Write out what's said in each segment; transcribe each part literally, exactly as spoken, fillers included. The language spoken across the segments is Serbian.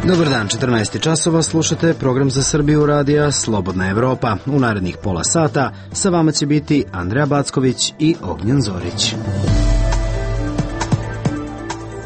Dobar dan, četrnaest časova, slušate program za Srbiju radija Slobodna Evropa. U narednih pola sata sa vama će biti Andreja Backović i Ognjen Zorić.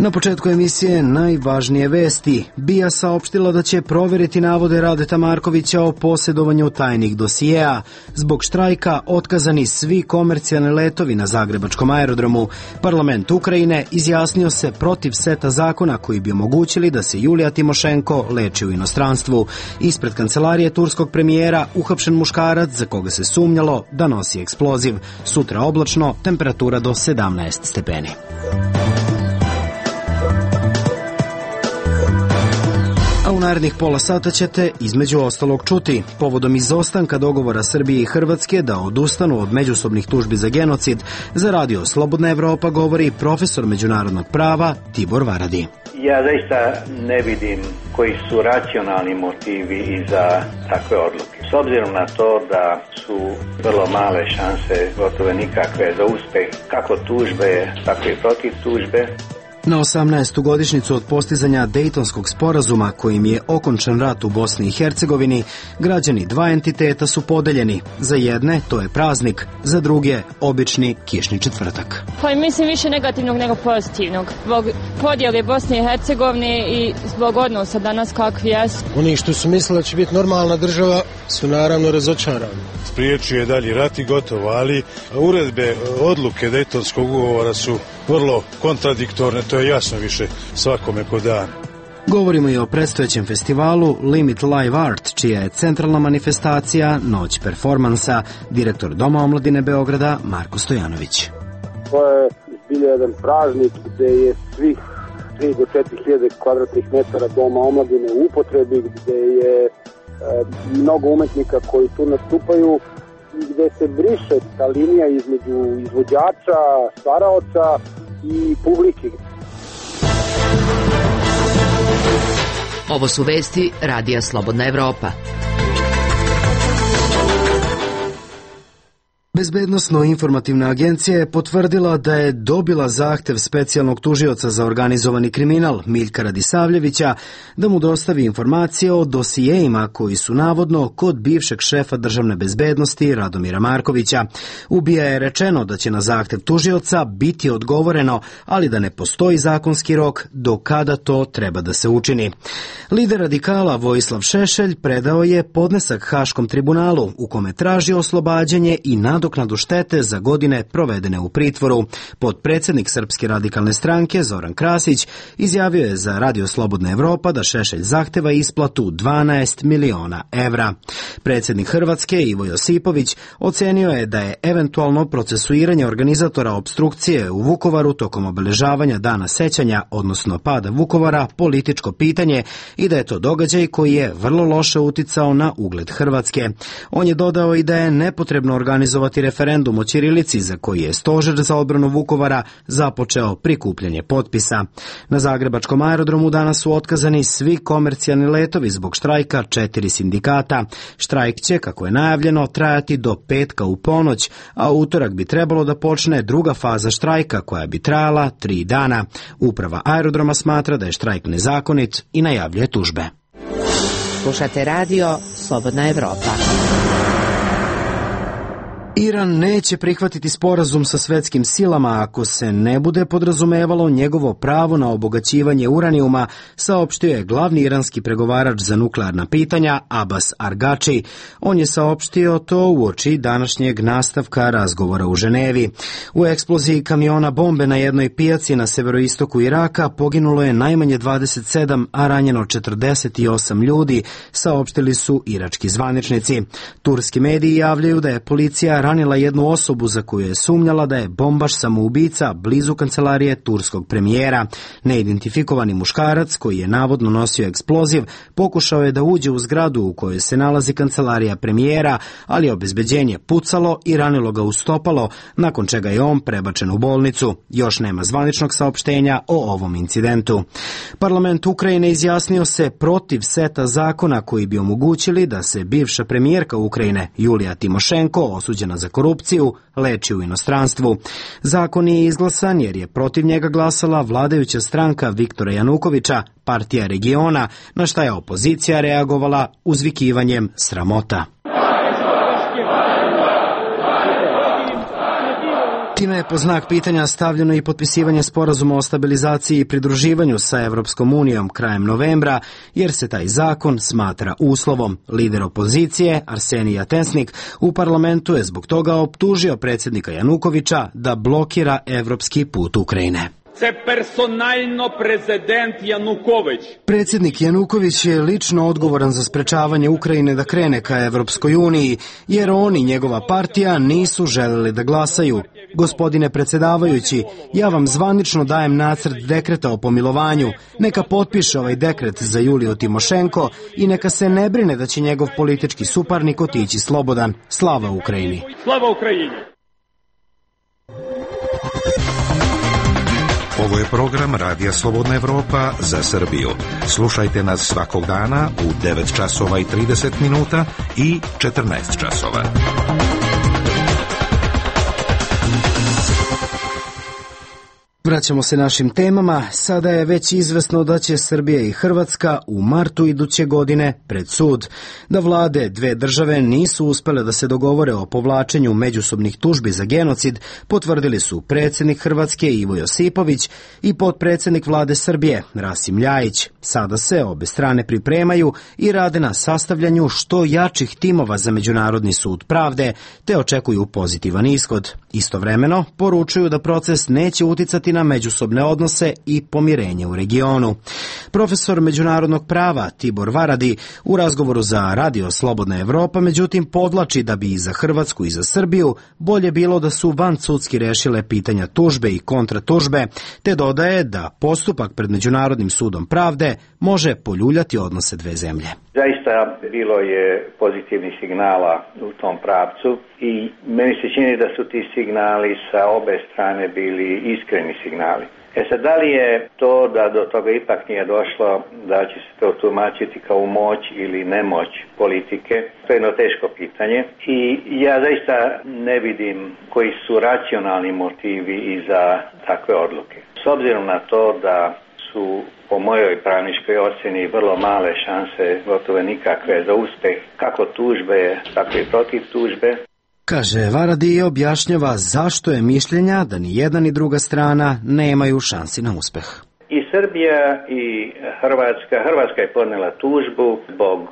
Na početku emisije najvažnije vesti. B I A saopštila da će proveriti navode Radeta Markovića o posjedovanju tajnih dosijeja. Zbog štrajka otkazani svi komercijalni letovi na zagrebačkom aerodromu. Parlament Ukrajine izjasnio se protiv seta zakona koji bi omogućili da se Julija Timošenko leči u inostranstvu. Ispred kancelarije turskog premijera uhapšen muškarac za koga se sumnjalo da nosi eksploziv. Sutra oblačno, temperatura do sedamnaest stepeni. A u narednih pola sata ćete između ostalog čuti. Povodom izostanka dogovora Srbije i Hrvatske da odustanu od međusobnih tužbi za genocid, za radio Slobodna Evropa govori profesor međunarodnog prava Tibor Varadi. Ja zaista ne vidim koji su racionalni motivi iza takve odluke. S obzirom na to da su vrlo male šanse, gotovo nikakve, za uspeh kako tužbe, tako i protiv tužbe. Na osamnaestu godišnjicu od postizanja Dejtonskog sporazuma kojim je okončan rat u Bosni i Hercegovini, građani dva entiteta su podeljeni. Za jedne to je praznik, za druge obični kišni četvrtak. Pa mislim više negativnog nego pozitivnog. Zbog podjele Bosne i Hercegovine i zbog odnosa danas kakvi jesu. Oni što su mislili da će biti normalna država su naravno razočarani. Spriječio je dalji rat i gotovo, ali uredbe, odluke Dejtonskog ugovora su vrlo kontradiktorne, to je jasno više svakome ko dan. Govorimo i o predstojećem festivalu Limit Live Art, čija je centralna manifestacija Noć performansa, direktor Doma omladine Beograda Marko Stojanović. To je zbilja jedan praznik gde je svih tri do četiri hiljade kvadratnih metara Doma omladine u upotrebi, gde je e, mnogo umetnika koji tu nastupaju, gde se briše ta linija između izvođača, stvaraoca i publike. Ovo su vesti radija Slobodna Evropa. Bezbednosno-informativna agencija je potvrdila da je dobila zahtev specijalnog tužioca za organizovani kriminal Miljka Radisavljevića da mu dostavi informacije o dosijejima koji su navodno kod bivšeg šefa državne bezbednosti Radomira Markovića. U B I A je rečeno da će na zahtev tužioca biti odgovoreno, ali da ne postoji zakonski rok do kada to treba da se učini. Lider radikala Vojislav Šešelj predao je podnesak Haškom tribunalu u kome traži oslobađanje i nadoknadu štete za godine provedene u pritvoru. Potpredsjednik Srpske radikalne stranke Zoran Krasić izjavio je za radio Slobodna Evropa da Šešelj zahteva isplatu dvanaest miliona evra. Predsjednik Hrvatske Ivo Josipović ocenio je da je eventualno procesuiranje organizatora opstrukcije u Vukovaru tokom obeležavanja Dana sećanja, odnosno pada Vukovara, političko pitanje i da je to događaj koji je vrlo loše uticao na ugled Hrvatske. On je dodao i da je nepotrebno organizovati referendum o ćirilici za koji je Stožer za odbranu Vukovara započeo prikupljanje potpisa. Na zagrebačkom aerodromu danas su otkazani svi komercijalni letovi zbog štrajka četiri sindikata. Štrajk će, kako je najavljeno, trajati do petka u ponoć, a utorak bi trebalo da počne druga faza štrajka koja bi trajala tri dana. Uprava aerodroma smatra da je štrajk nezakonit i najavljuje tužbe. Slušate radio Slobodna Evropa. Iran neće prihvatiti sporazum sa svetskim silama ako se ne bude podrazumevalo njegovo pravo na obogaćivanje uranijuma, saopštio je glavni iranski pregovarač za nuklearna pitanja Abbas Argači. On je saopštio to uoči današnjeg nastavka razgovora u Ženevi. U eksploziji kamiona bombe na jednoj pijaci na severoistoku Iraka poginulo je najmanje dvadeset sedam, a ranjeno četrdeset osam ljudi, saopštili su irački zvaničnici. Turski mediji javljaju da je policija ranila jednu osobu za koju je sumnjala da je bombaš samoubica blizu kancelarije turskog premijera. Neidentifikovani muškarac, koji je navodno nosio eksploziv, pokušao je da uđe u zgradu u kojoj se nalazi kancelarija premijera, ali je obezbeđenje pucalo i ranilo ga u stopalo, nakon čega je on prebačen u bolnicu. Još nema zvaničnog saopštenja o ovom incidentu. Parlament Ukrajine izjasnio se protiv seta zakona koji bi omogućili da se bivša premijerka Ukrajine Julija Timošenko, osuđena za korupciju, leči u inostranstvu. Zakon je izglasan jer je protiv njega glasala vladajuća stranka Viktora Janukovića, partija regiona, na šta je opozicija reagovala uzvikivanjem sramota. Time je po znak pitanja stavljeno i potpisivanje sporazuma o stabilizaciji i pridruživanju sa Evropskom unijom krajem novembra, jer se taj zakon smatra uslovom. Lider opozicije, Arsenij Jatensnik, u parlamentu je zbog toga optužio predsjednika Janukovića da blokira evropski put Ukrajine. Predsjednik Januković je lično odgovoran za sprečavanje Ukrajine da krene ka Evropskoj uniji, jer on i njegova partija nisu želeli da glasaju. Gospodine predsjedavajući, ja vam zvanično dajem nacrt dekreta o pomilovanju. Neka potpiše ovaj dekret za Juliju Timošenko i neka se ne brine da će njegov politički suparnik otići slobodan. Slava Ukrajini! Slava Ukrajini! Ovo je program Radija Slobodna Evropa za Srbiju. Slušajte nas svakog dana u devet časova i trideset minuta i četrnaest časova. Vraćamo se našim temama. Sada je već izvesno da će Srbija i Hrvatska u martu iduće godine pred sud. Da vlade dve države nisu uspele da se dogovore o povlačenju međusobnih tužbi za genocid, potvrdili su predsjednik Hrvatske Ivo Josipović i potpredsjednik vlade Srbije Rasim Ljajić. Sada se obe strane pripremaju i rade na sastavljanju što jačih timova za Međunarodni sud pravde, te očekuju pozitivan ishod. Istovremeno poručuju da proces neće uticati na međusobne odnose i pomirenje u regionu. Profesor međunarodnog prava Tibor Varadi u razgovoru za Radio Slobodna Evropa međutim podlači da bi i za Hrvatsku i za Srbiju bolje bilo da su vansudski rešile pitanja tužbe i kontratužbe, te dodaje da postupak pred Međunarodnim sudom pravde može poljuljati odnose dve zemlje. Zaista bilo je pozitivnih signala u tom pravcu i meni se čini da su ti signali sa obe strane bili iskreni signali. E sad, da li je to da do toga ipak nije došlo, da će se to tumačiti kao moć ili nemoć politike, to je jedno teško pitanje i ja zaista ne vidim koji su racionalni motivi iza takve odluke. S obzirom na to da su po mojoj pravničkoj ocjeni vrlo male šanse, gotovo nikakve, za uspeh kako tužbe, tako i protiv tužbe. Kaže Varadi i objašnjava zašto je mišljenja da ni jedna ni druga strana nemaju šansi na uspeh. I Srbija i Hrvatska, Hrvatska je podnela tužbu zbog e,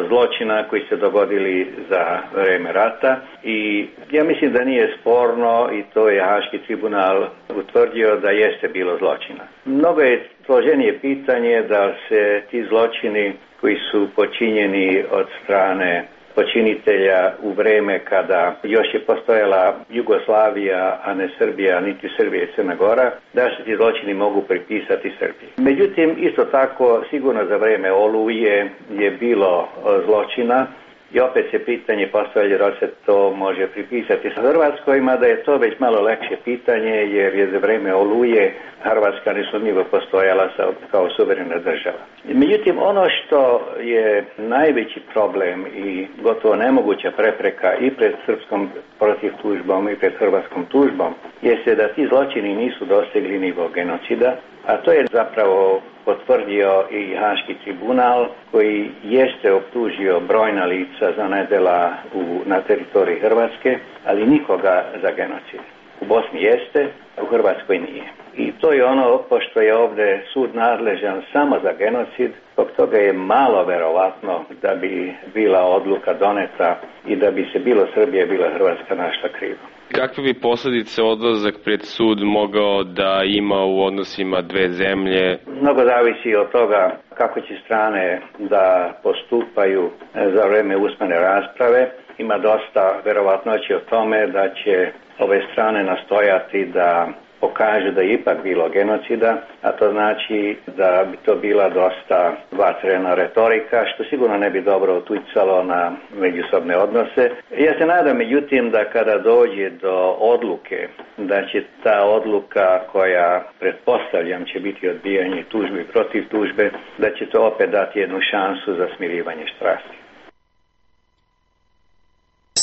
zločina koji se dogodili za vreme rata i ja mislim da nije sporno i to je Haški tribunal utvrdio da jeste bilo zločina. Mnogo je složenije pitanje da se ti zločini koji su počinjeni od strane počinitelja u vreme kada još je postojala Jugoslavija, a ne Srbija, niti Srbija i Crna Gora, da se ti zločini mogu pripisati Srbiji. Međutim, isto tako, sigurno za vreme Oluje je bilo zločina i opet se pitanje postavlja da se to može pripisati sa Hrvatskoj, mada je to već malo lakše pitanje jer je za vreme Oluje Hrvatska nesumnjivo postojala kao suverena država. Međutim, ono što je najveći problem i gotovo nemoguća prepreka i pred srpskom protiv tužbom i pred hrvatskom tužbom jeste da ti zločini nisu dosegli nivo genocida, a to je zapravo potvrdio i Haški tribunal koji jeste optužio brojna lica za nedjela u, na teritoriji Hrvatske, ali nikoga za genocid. U Bosni jeste, a u Hrvatskoj nije. I to je ono, pošto je ovdje sud nadležan samo za genocid, zbog toga je malo verovatno da bi bila odluka doneta i da bi se bilo Srbija, bilo Hrvatska našla krivo. Kakve bi posljedice odlazak pred sud mogao da ima u odnosima dve zemlje? Mnogo zavisi od toga kako će strane da postupaju za vreme usmene rasprave. Ima dosta verovatnoće o tome da će ove strane nastojati da pokaže da je ipak bilo genocida, a to znači da bi to bila dosta vatrena retorika, što sigurno ne bi dobro uticalo na međusobne odnose. Ja se nadam, međutim, da kada dođe do odluke, da će ta odluka koja, pretpostavljam, će biti odbijanje tužbe protiv tužbe, da će to opet dati jednu šansu za smirivanje strasti.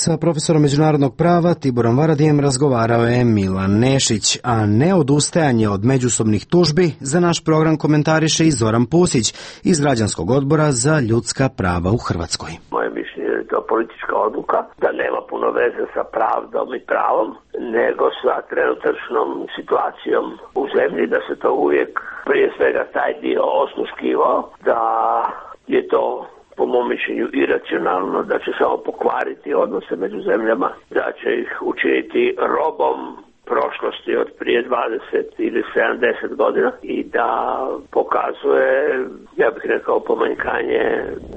Sa profesorom međunarodnog prava Tiborom Varadijem razgovarao je Milan Nešić, a neodustajanje od međusobnih tužbi za naš program komentariše i Zoran Pusić iz Građanskog odbora za ljudska prava u Hrvatskoj. Moje mišljenje je to politička odluka, da nema puno veze sa pravdom i pravom, nego sa trenutačnom situacijom u zemlji, da se to uvijek prije svega taj dio osluškivao, da je to po mom mišljenju iracionalno, da će samo pokvariti odnose među zemljama, da će ih učiniti robom prošlosti od prije dvadeset ili sedamdeset godina i da pokazuje, ja bih rekao, pomanjkanje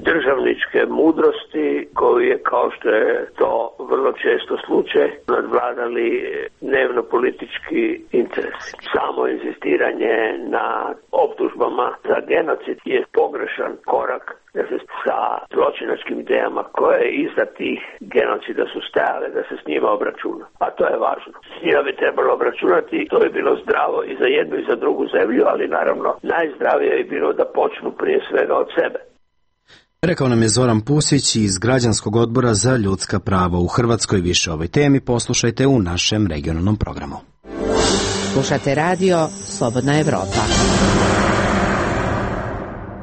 državničke mudrosti koju je, kao što je to vrlo često slučaj, nadvladali dnevno politički interes. Samo insistiranje na optužbama za genocid je pogrešan korak da se sa zločinačkim idejama koje iza tih genocida su stajale, da se s njima obračuna. A to je važno. S njima bi trebalo obračunati, to bi bilo zdravo i za jednu i za drugu zemlju, ali naravno najzdravije bi bilo da počnu prije svega od sebe. Rekao nam je Zoran Pusić iz Građanskog odbora za ljudska prava u Hrvatskoj. Više o ovoj temi poslušajte u našem regionalnom programu. Slušate radio Slobodna Evropa.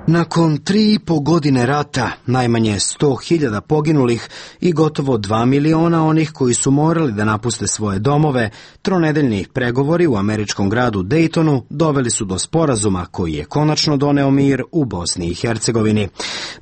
Nakon tri i po godine rata, najmanje sto hiljada poginulih i gotovo dva miliona onih koji su morali da napuste svoje domove, tronedeljni pregovori u američkom gradu Daytonu doveli su do sporazuma koji je konačno doneo mir u Bosni i Hercegovini.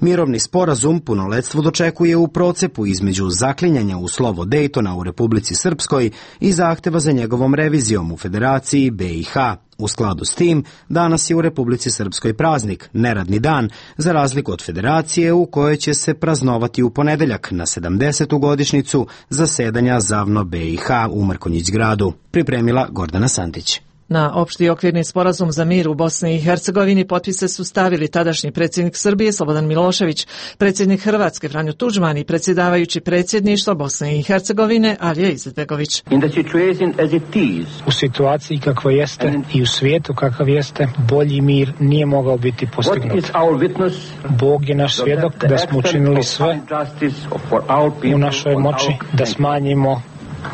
Mirovni sporazum punoletstvo dočekuje u procepu između zaklinjanja u slovo Daytona u Republici Srpskoj i zahteva za njegovom revizijom u Federaciji B i H. U skladu s tim, danas je u Republici Srpskoj praznik, neradni dan, za razliku od Federacije u kojoj će se praznovati u ponedeljak na sedamdesetu godišnjicu zasedanja ZAVNO B i H u Mrkonjić gradu. Pripremila Gordana Santić. Na opšti okvirni sporazum za mir u Bosni i Hercegovini potpise su stavili tadašnji predsjednik Srbije Slobodan Milošević, predsjednik Hrvatske Franjo Tudžman i predsjedavajući predsjedništva Bosne i Hercegovine Alija Izetbegović. U situaciji kakva jeste i u svijetu kakav jeste, bolji mir nije mogao biti postignut. Bog je naš svjedok da smo učinili sve u našoj moći da smanjimo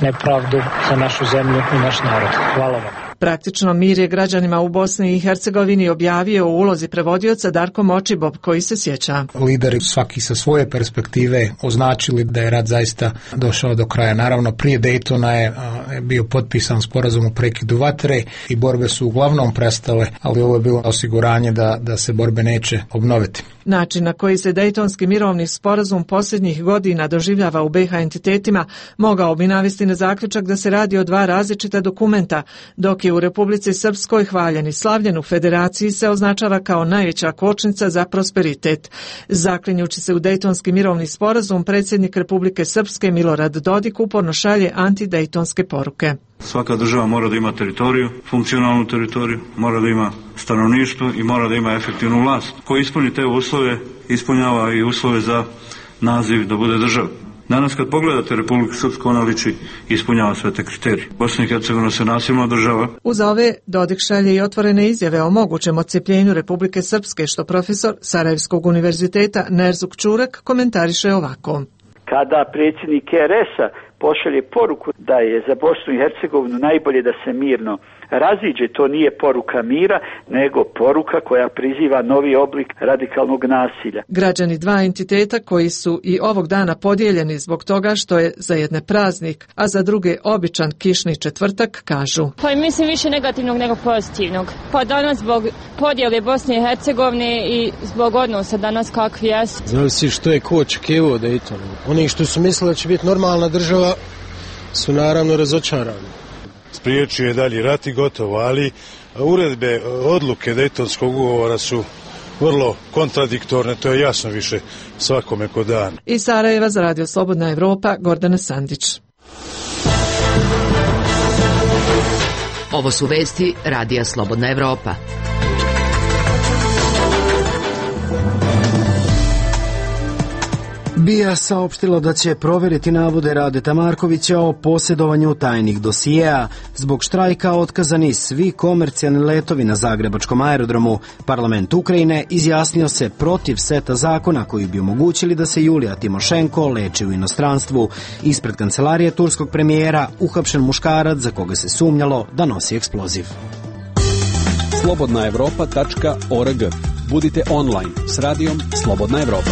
nepravdu za našu zemlju i naš narod. Hvala vam. Praktično mir je građanima u Bosni i Hercegovini objavio u ulozi prevodioca Darko Močibob, koji se sjeća. Lideri svaki sa svoje perspektive označili da je rat zaista došao do kraja. Naravno, prije Daytona je bio potpisan sporazum o prekidu vatre i borbe su uglavnom prestale, ali ovo je bilo osiguranje da, da se borbe neće obnoviti. Način na koji se Dejtonski mirovni sporazum posljednjih godina doživljava u B i H entitetima mogao bi navesti na zaključak da se radi o dva različita dokumenta, dok je u Republici Srpskoj hvaljen i slavljen, u Federaciji se označava kao najveća kočnica za prosperitet. Zaklinjući se u Dejtonski mirovni sporazum, predsjednik Republike Srpske Milorad Dodik uporno šalje antidejtonske poruke. Svaka država mora da ima teritoriju, funkcionalnu teritoriju, mora da ima stanovništvo i mora da ima efektivnu vlast. Ko ispuni te uslove, ispunjava i uslove za naziv da bude država. Danas kad pogledate Republiku Srpsku, ona liči i ispunjava sve te kriterije. Bosna i Hercegovina se nasilno država. Uz ove Dodik šalje i otvorene izjave o mogućem odcepljenju Republike Srpske, što profesor Sarajevskog univerziteta Nerzuk Čurek komentariše ovako. Kada predsjednik R S-a pošalje poruku da je za Bosnu i Hercegovinu najbolje da se mirno raziđe, to nije poruka mira, nego poruka koja priziva novi oblik radikalnog nasilja. Građani dva entiteta koji su i ovog dana podijeljeni zbog toga što je za jedne praznik, a za druge običan kišni četvrtak, kažu. Pa mislim više negativnog nego pozitivnog. Pa danas zbog podjele Bosne i Hercegovine i zbog odnosa danas kakvi jesu. Zavisi što je ko očekivao Dayton. Oni što su mislili da će biti normalna država su naravno razočarani. Spriječio je dalji rat i gotovo, ali uredbe, odluke Dejtonskog ugovora su vrlo kontradiktorne, to je jasno više svakome ko dan. Iz Sarajeva za Radio Slobodna Evropa, Gordana Sandić. Ovo su vesti Radija Slobodna Evropa. B I A saopštilo da će provjeriti navode Radeta Markovića o posjedovanju tajnih dosijeja. Zbog štrajka otkazani svi komercijalni letovi na zagrebačkom aerodromu. Parlament Ukrajine izjasnio se protiv seta zakona koji bi omogućili da se Julija Timošenko leči u inostranstvu. Ispred kancelarije turskog premijera uhapšen muškarac za koga se sumnjalo da nosi eksploziv. slobodna evropa tačka org. Budite online s radijom Slobodna Evropa.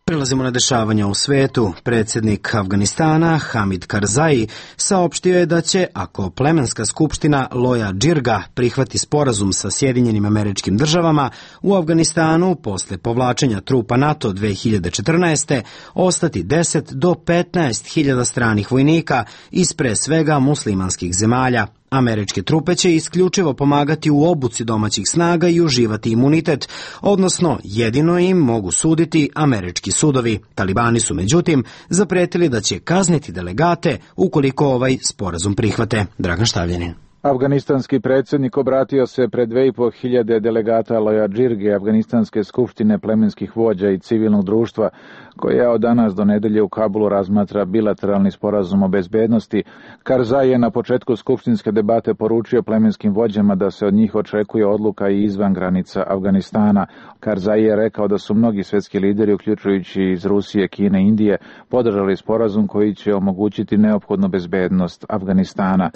Prelazimo na dešavanja u svetu. Predsjednik Afganistana Hamid Karzai saopštio je da će, ako plemenska skupština Loja Džirga prihvati sporazum sa Sjedinjenim Američkim Državama, u Afganistanu posle povlačenja trupa NATO dve hiljade četrnaeste. ostati deset do petnaest hiljada stranih vojnika iz pre svega muslimanskih zemalja. Američke trupe će isključivo pomagati u obuci domaćih snaga i uživati imunitet, odnosno jedino im mogu suditi američki sudovi. Talibani su međutim zapretili da će kazniti delegate ukoliko ovaj sporazum prihvate. Dragan Štavljanin. Afganistanski predsjednik obratio se pred dve i po hiljade delegata Loja Džirge, Afganistanske skupštine plemenskih vođa i civilnog društva, koja od danas do nedelje u Kabulu razmatra bilateralni sporazum o bezbednosti. Karzai je na početku skupštinske debate poručio plemenskim vođama da se od njih očekuje odluka i izvan granica Afganistana. Karzai je rekao da su mnogi svjetski lideri, uključujući iz Rusije, Kine i Indije, podržali sporazum koji će omogućiti neophodnu bezbednost Afganistana.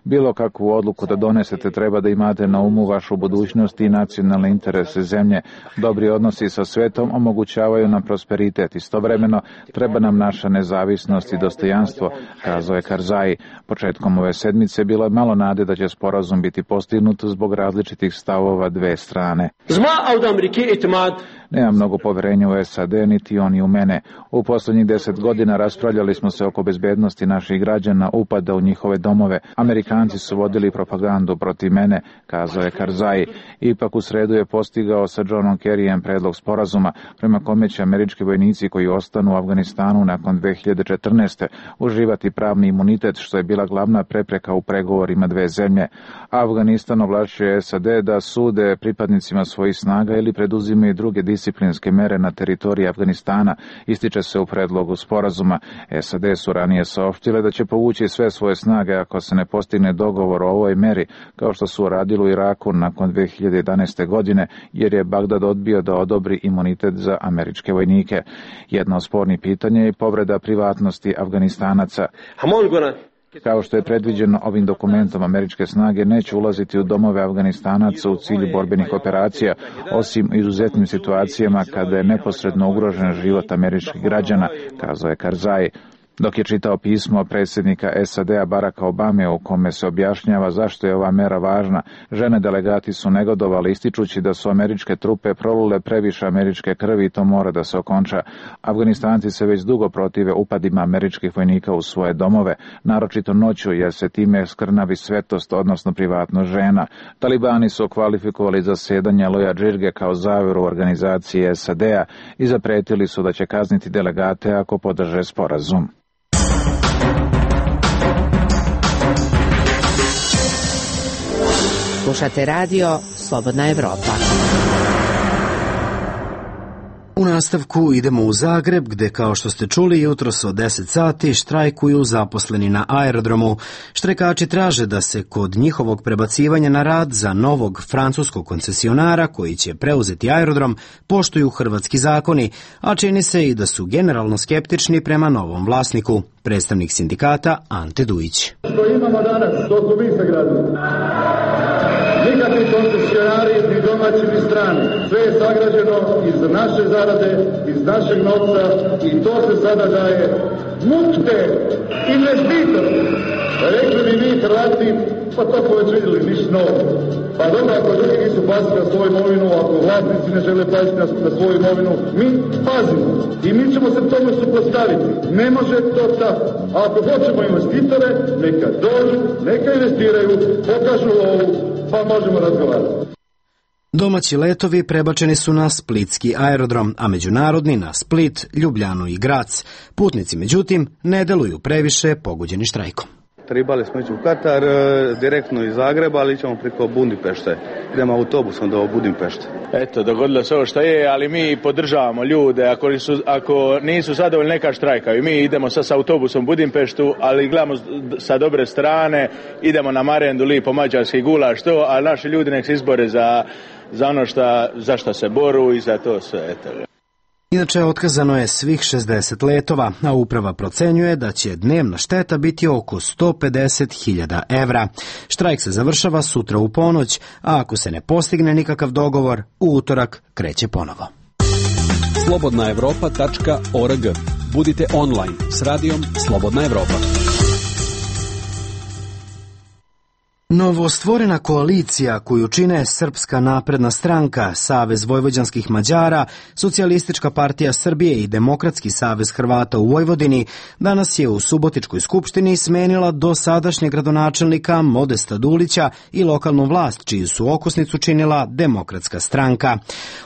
Bilo kakvu odluku da donesete treba da imate na umu vašu budućnost i nacionalne interese zemlje. Dobri odnosi sa svetom omogućavaju nam prosperitet. Istovremeno treba nam naša nezavisnost i dostojanstvo, kazao je Karzai. Početkom ove sedmice bilo je malo nade da će sporazum biti postignut zbog različitih stavova dve strane. Nema mnogo poverenja u S A D, niti oni u mene. U posljednjih deset godina raspravljali smo se oko bezbednosti naših građana, upada u njihove domove. Amerikanci su vodili propagandu protiv mene, kazao je Karzai. Ipak u sredu je postigao sa Johnom Kerryjem predlog sporazuma, prema kome će američki vojnici koji ostanu u Afganistanu nakon dve hiljade četrnaeste. uživati pravni imunitet, što je bila glavna prepreka u pregovorima dve zemlje. Afganistan ovlašćuje S A D da sude pripadnicima svojih snaga ili preduzimaju druge disciplinske mere na teritoriji Afganistana, ističe se u predlogu sporazuma. S A D su ranije saopštile da će povući sve svoje snage ako se ne postigne dogovor o ovoj meri, kao što su uradili u Iraku nakon dve hiljade jedanaeste. godine, jer je Bagdad odbio da odobri imunitet za američke vojnike. Jedno od spornih pitanja je povreda privatnosti Afganistanaca. Kao što je predviđeno ovim dokumentom, američke snage neće ulaziti u domove Afganistanaca u cilju borbenih operacija, osim u izuzetnim situacijama kada je neposredno ugrožen život američkih građana, kazao je Karzai. Dok je čitao pismo predsjednika S A D-a Baracka Obame u kome se objašnjava zašto je ova mera važna, žene delegati su negodovali ističući da su američke trupe prolile previše američke krvi i to mora da se okonča. Afganistanci se već dugo protive upadima američkih vojnika u svoje domove, naročito noću jer se time skrnavi svetost, odnosno privatnost žena. Talibani su kvalifikovali zasedanje Loja Džirge kao zaveru organizacije S A D-a i zapretili su da će kazniti delegate ako podrže sporazum. Slušate radio Slobodna Evropa. U nastavku idemo u Zagreb, gde, kao što ste čuli, jutros od deset sati štrajkuju zaposleni na aerodromu. Štrajkači traže da se kod njihovog prebacivanja na rad za novog francuskog koncesionara koji će preuzeti aerodrom poštuju hrvatski zakoni, a čini se i da su generalno skeptični prema novom vlasniku. Predstavnik sindikata Ante Dujić. Što imamo danas, to smo mi sagradili. Nikakvi koncesionari, ni domaći, ni strani. Sve je sagrađeno iz naše zarade, iz našeg novca i to se sada daje mukte investitoru. Rekli bi mi Hrvati, pa to ko već vidjeli, ništa novo. Pa dobro, ako drugi nisu paziti na svoju imovinu, ako vlasnici ne žele paziti na, na svoju imovinu, mi pazimo. I mi ćemo se tome suprotstaviti. Ne može to tako. A ako hoćemo investitore, neka dođu, neka investiraju, pokažu ovu, pa možemo razgovarati. Domaći letovi prebačeni su na splitski aerodrom, a međunarodni na Split, Ljubljanu i Grac. Putnici, međutim, ne deluju previše pogođeni štrajkom. Trebali smo ići u Katar direktno iz Zagreba, ali ćemo preko Budimpešte. Idemo autobusom do Budimpešte. Eto, dogodilo se ovo što je, ali mi podržavamo ljude. Ako, su, ako nisu zadovoljni, neka štrajkaju. Mi idemo sad sa autobusom u Budimpeštu, ali gledamo sa dobre strane, idemo na marendu, lipo mađarski gulaš, to, a naši ljudi nek se izbore za, za ono šta, za šta se boru i za to sve. Eto. Inače, otkazano je svih šezdeset letova, a uprava procenjuje da će dnevna šteta biti oko sto pedeset hiljada evra. Štrajk se završava sutra u ponoć, a ako se ne postigne nikakav dogovor, u utorak kreće ponovo. slobodna evropa tačka org. Budite online s radijom Slobodna Evropa. Novostvorena koalicija koju čine Srpska napredna stranka, Savez vojvođanskih Mađara, Socijalistička partija Srbije i Demokratski savez Hrvata u Vojvodini danas je u Subotičkoj skupštini smenila dosadašnjeg gradonačelnika Modesta Dulića i lokalnu vlast, čiju su okosnicu činila Demokratska stranka.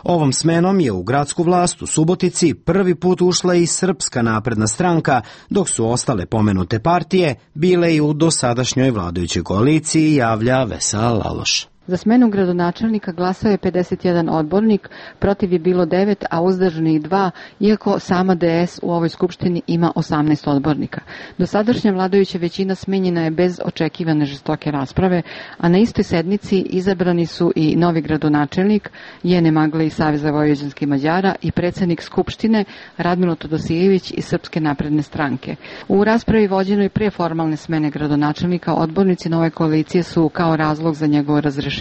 Ovom smenom je u gradsku vlast u Subotici prvi put ušla i Srpska napredna stranka, dok su ostale pomenute partije bile i u dosadašnjoj vladajućoj koaliciji, javlja Vesela Laloš. Za smenu gradonačelnika glasao je pedeset jedan odbornik, protiv je bilo devet, a uzdržanih dva, iako sama D S u ovoj skupštini ima osamnaest odbornika. Dosadašnja vladajuća većina smenjena je bez očekivane žestoke rasprave, a na istoj sednici izabrani su i novi gradonačelnik Jene Magle iz Saveza vojvođanskih Mađara i predsjednik skupštine Radmilo Todosijević iz Srpske napredne stranke. U raspravi vođenoj pre formalne smene gradonačelnika odbornici nove koalicije su kao razlog za njegovo razrešenje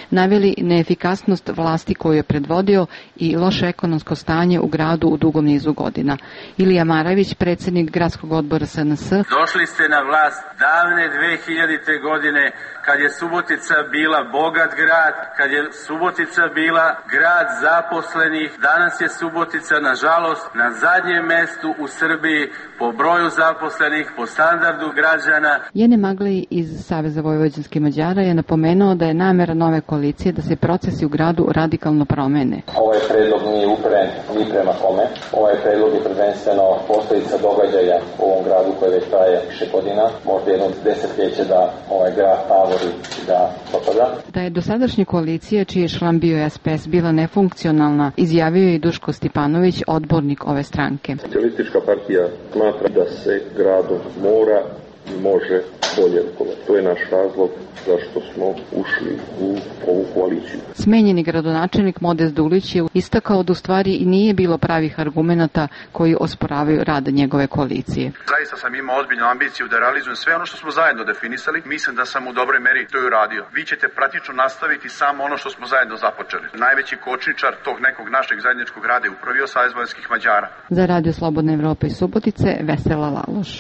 naveli neefikasnost vlasti koju je predvodio i loše ekonomsko stanje u gradu u dugom nizu godina. Ilija Maravić, predsjednik gradskog odbora S N S. Došli ste na vlast davne dve hiljadite godine kad je Subotica bila bogat grad, kad je Subotica bila grad zaposlenih. Danas je Subotica, nažalost, na zadnjem mestu u Srbiji po broju zaposlenih, po standardu građana. Jene Magli iz Saveza vojvođanskih Mađara je napomenuo da je namera nove koalicije da se procesi u gradu radikalno promene. Ovaj predlog nije uperen ni prema kome. Ovaj predlog je prvenstveno posljedica događaja u ovom gradu koje već traje više godina, možda jedno desetljeće da ovaj grad tavori i da propada. Da je dosadašnja koalicija, čiji je član bio S P S, bila nefunkcionalna, izjavio je i Duško Stipanović, odbornik ove stranke. Socijalistička partija smatra da se gradom mora i može bolje rukovati. To je naš razlog zašto smo ušli u ovu koaliciju. Smenjeni gradonačelnik Modest Dulić je istakao da u stvari i nije bilo pravih argumenata koji osporavaju rad njegove koalicije. Zaista sam imao ozbiljnu ambiciju da realizujem sve ono što smo zajedno definisali. Mislim da sam u dobroj meri to i uradio. Vi ćete praktično nastaviti samo ono što smo zajedno započeli. Najveći kočničar tog nekog našeg zajedničkog rada je upravio Savez vojvođanskih Mađara. Za Radio Slobodna Evropa iz Subotice, Vesela Laloš.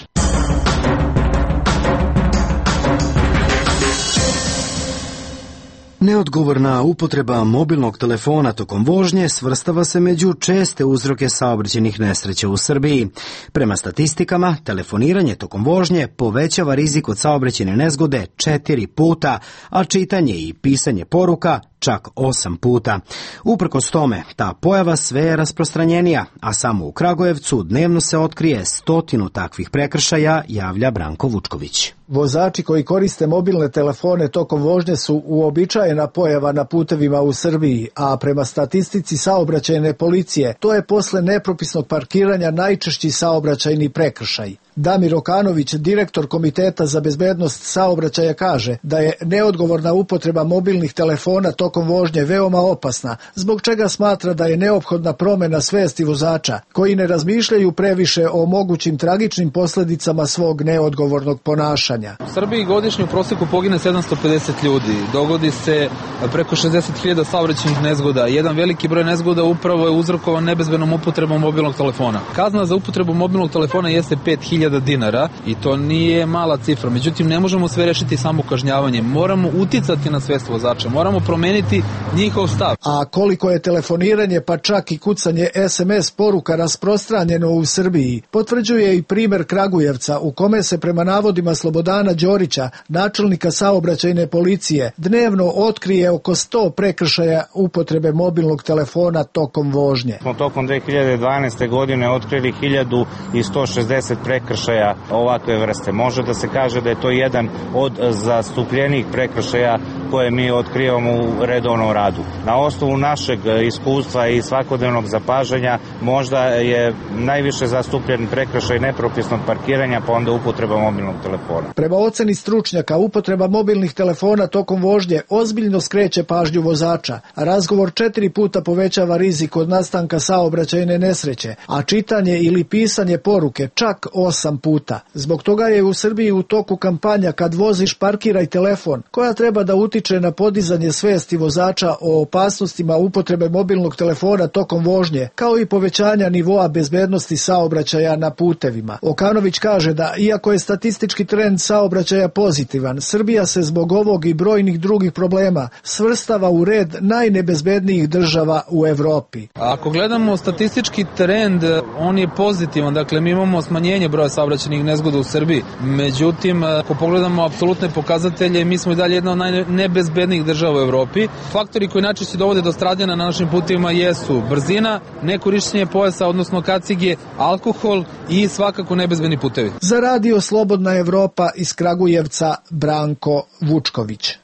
Neodgovorna upotreba mobilnog telefona tokom vožnje svrstava se među česte uzroke saobraćajnih nesreća u Srbiji. Prema statistikama, telefoniranje tokom vožnje povećava rizik od saobraćajne nezgode četiri puta, a čitanje i pisanje poruka čak osam puta. Uprkos tome, ta pojava sve je rasprostranjenija, a samo u Kragujevcu dnevno se otkrije stotinu takvih prekršaja, javlja Branko Vučković. Vozači koji koriste mobilne telefone tokom vožnje su uobičajena pojava na putevima u Srbiji, a prema statistici saobraćajne policije, to je posle nepropisnog parkiranja najčešći saobraćajni prekršaj. Damir Okanović, direktor Komiteta za bezbednost saobraćaja, kaže da je neodgovorna upotreba mobilnih telefona tokom vožnje veoma opasna, zbog čega smatra da je neophodna promena svesti vozača, koji ne razmišljaju previše o mogućim tragičnim posljedicama svog neodgovornog ponašanja. U Srbiji godišnje u prosjeku pogine sedamsto pedeset ljudi, dogodi se preko šezdeset hiljada saobraćajnih nezgoda. Jedan veliki broj nezgoda upravo je uzrokovan nebezbednom upotrebom mobilnog telefona. Kazna za upotrebu mobilnog telefona jeste pet hiljada dinara i to nije mala cifra. Međutim, ne možemo sve rešiti samo kažnjavanjem. Moramo uticati na svest vozača, moramo promeniti promeniti njihov stav. A koliko je telefoniranje pa čak i kucanje es em es poruka rasprostranjeno u Srbiji, potvrđuje i primer Kragujevca u kome se prema navodima Slobodana Đorića, načelnika saobraćajne policije, dnevno otkrije oko sto prekršaja upotrebe mobilnog telefona tokom vožnje. Smo tokom dve hiljade dvanaeste. godine otkrili hiljadu sto šezdeset prekršaja ovakve vrste. Može da se kaže da je to jedan od zastupljenih prekršaja koje mi otkrivamo u redovnom radu. Na osnovu našeg iskustva i svakodnevnog zapažanja možda je najviše zastupljen prekršaj nepropisnog parkiranja, pa onda upotreba mobilnog telefona. Prema oceni stručnjaka, upotreba mobilnih telefona tokom vožnje ozbiljno skreće pažnju vozača. Razgovor četiri puta povećava rizik od nastanka saobraćajne nesreće, a čitanje ili pisanje poruke čak osam puta. Zbog toga je u Srbiji u toku kampanja Kad voziš parkiraj telefon, koja treba da utiče na podizanje svesti vozača o opasnostima upotrebe mobilnog telefona tokom vožnje, kao i povećanja nivoa bezbednosti saobraćaja na putevima. Okanović kaže da, iako je statistički trend saobraćaja pozitivan, Srbija se zbog ovog i brojnih drugih problema svrstava u red najnebezbednijih država u Evropi. Ako gledamo statistički trend, on je pozitivan, dakle mi imamo smanjenje broja saobraćajnih nezgoda u Srbiji. Međutim, ako pogledamo apsolutne pokazatelje, mi smo i dalje jedna od najnebezbednijih država u Evropi. Faktori koji najčešće dovode do stradanja na našim putevima jesu brzina, nekorišćenje pojasa, odnosno kacige, alkohol i svakako nebezbedni putevi. Za radio Slobodna Evropa iz Kragujevca, Branko Vučković.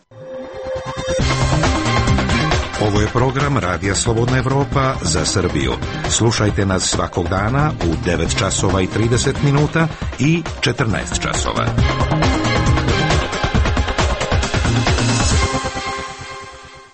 Ovo je program Radija Slobodna Evropa za Srbiju. Slušajte nas svakog dana u devet časova i trideset minuta i četrnaest časova.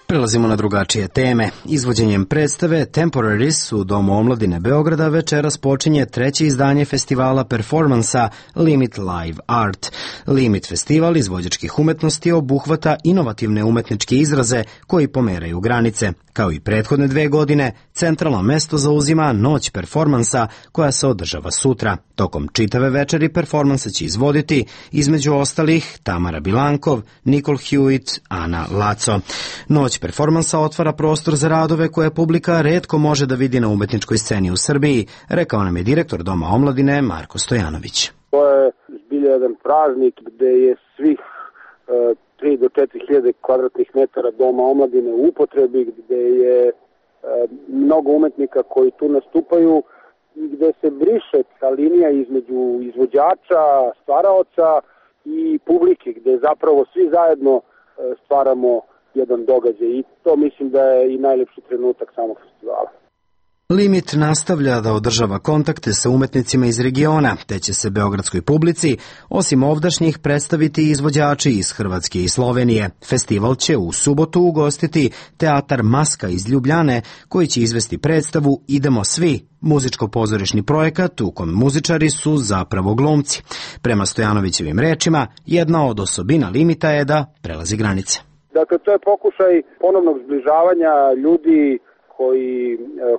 Prelazimo na drugačije teme. Izvođenjem predstave Temporaries u Domu omladine Beograda večeras počinje treće izdanje festivala performansa Limit Live Art. Limit festival izvođačkih umetnosti obuhvata inovativne umetničke izraze koji pomeraju granice. Kao i prethodne dve godine, centralno mesto zauzima Noć performansa koja se održava sutra. Tokom čitave večeri performansa će izvoditi, između ostalih, Tamara Bilankov, Nicole Hewitt, Ana Laco. Noć performansa otvara prostor za radove koje publika retko može da vidi na umetničkoj sceni u Srbiji, rekao nam je direktor Doma omladine Marko Stojanović. To je zbilja jedan praznik gde je svih uh, tri do četiri hiljade kvadratnih metara Doma omladine u upotrebi, gde je uh, mnogo umetnika koji tu nastupaju i gde se briše ta linija između izvođača, stvaraoca i publike, gde zapravo svi zajedno uh, stvaramo jedan događaj i to mislim da je i najlepši trenutak samog festivala. Limit nastavlja da održava kontakte sa umetnicima iz regiona, te će se beogradskoj publici, osim ovdašnjih, predstaviti izvođači iz Hrvatske i Slovenije. Festival će u subotu ugostiti Teatar Maska iz Ljubljane, koji će izvesti predstavu Idemo svi, muzičko-pozorišni projekat u kom muzičari su zapravo glumci. Prema Stojanovićevim rečima, jedna od osobina Limita je da prelazi granice. Dakle, to je pokušaj ponovnog zbližavanja ljudi koji,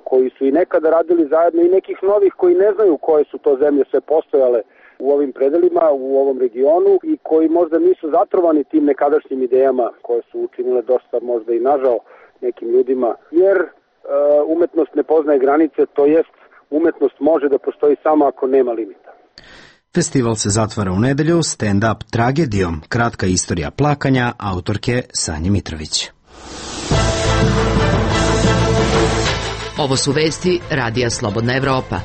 koji su i nekada radili zajedno i nekih novih koji ne znaju koje su to zemlje sve postojale u ovim predelima, u ovom regionu i koji možda nisu zatrovani tim nekadašnjim idejama koje su učinile dosta možda i nažao nekim ljudima. Jer e, umetnost ne poznaje granice, to jest umetnost može da postoji samo ako nema limita. Festival se zatvara u nedelju stand-up tragedijom, kratka istorija plakanja, autorke Sanje Mitrović. Ovo su vesti Radija Slobodna Evropa.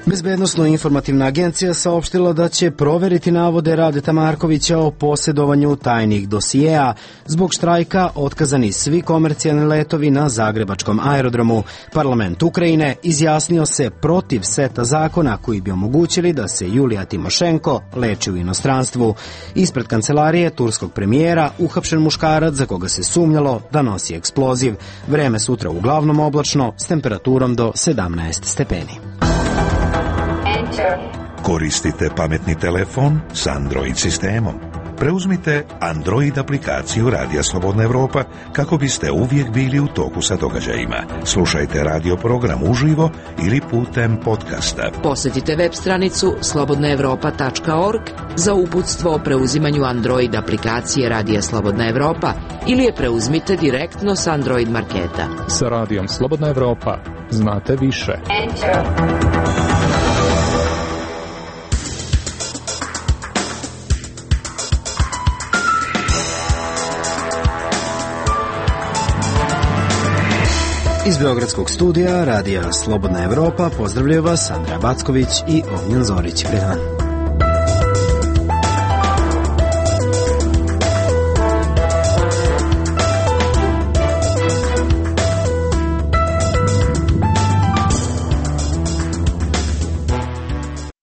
Bezbednosno-informativna agencija saopštila da će proveriti navode Radeta Markovića o posjedovanju tajnih dosijeja. Zbog štrajka otkazani svi komercijalni letovi na Zagrebačkom aerodromu. Parlament Ukrajine izjasnio se protiv seta zakona koji bi omogućili da se Julija Timošenko leči u inostranstvu. Ispred kancelarije turskog premijera uhapšen muškarac za koga se sumnjalo da nosi eksploziv. Vreme sutra uglavnom oblačno s temperaturom do sedamnaest stepeni. Koristite pametni telefon s Android sistemom. Preuzmite Android aplikaciju Radija Slobodna Evropa kako biste uvijek bili u toku sa događajima. Slušajte radio program uživo ili putem podcasta. Posjetite web stranicu slobodna evropa tačka org za uputstvo o preuzimanju Android aplikacije Radija Slobodna Evropa ili je preuzmite direktno s Android marketa. Sa Radijom Slobodna Evropa znate više. Iz Beogradskog studija Radija Slobodna Evropa pozdravljaju vas Andreja Backović i Ognjen Zorić. Pred